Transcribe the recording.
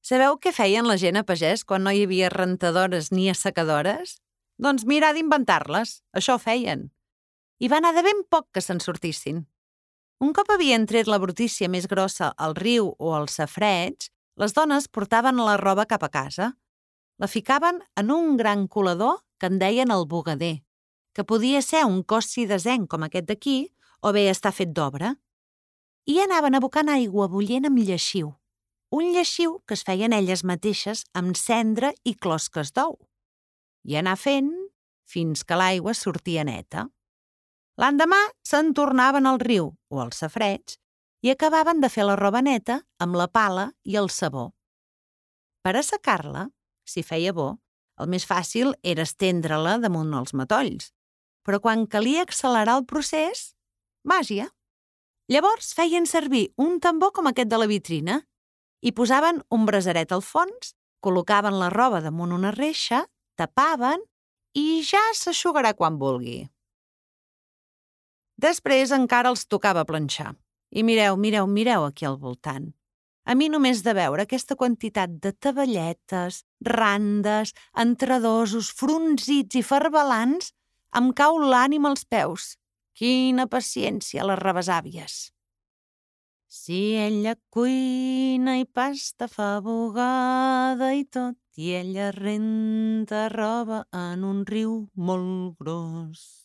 Sabeu què feien la gent a pagès quan no hi havia rentadores ni assecadores? Doncs mirar d'inventar-les, això feien. I va anar de ben poc que se'n sortissin. Un cop havien tret la brutícia més grossa al riu o al safareig, les dones portaven la roba cap a casa. La ficaven en un gran colador que en deien el bugader, que podia ser un cos cidesenc com aquest d'aquí o bé estar fet d'obra. I anaven abocant aigua bullent amb lleixiu. Un lleixiu que es feien elles mateixes amb cendra i closques d'ou. I anar fent fins que l'aigua sortia neta. L'endemà se'n tornaven al riu o al safareig i acabaven de fer la roba neta amb la pala i el sabó. Per assecar-la, si feia bo, el més fàcil era estendre-la damunt els matolls, però quan calia accelerar el procés, màgia. Llavors feien servir un tambor com aquest de la vitrina i posaven un brasaret al fons, col·locaven la roba damunt una reixa, tapaven i ja s'eixugarà quan vulgui. Després encara els tocava planxar. I mireu aquí al voltant. A mi només de veure aquesta quantitat de taballetes, randes, entredosos, fronzits i farbalants, em cau l'ànima als peus. Quina paciència, les rebesàvies! Si ella cuina i pasta fa bugada i tot, i ella renta roba en un riu molt gros.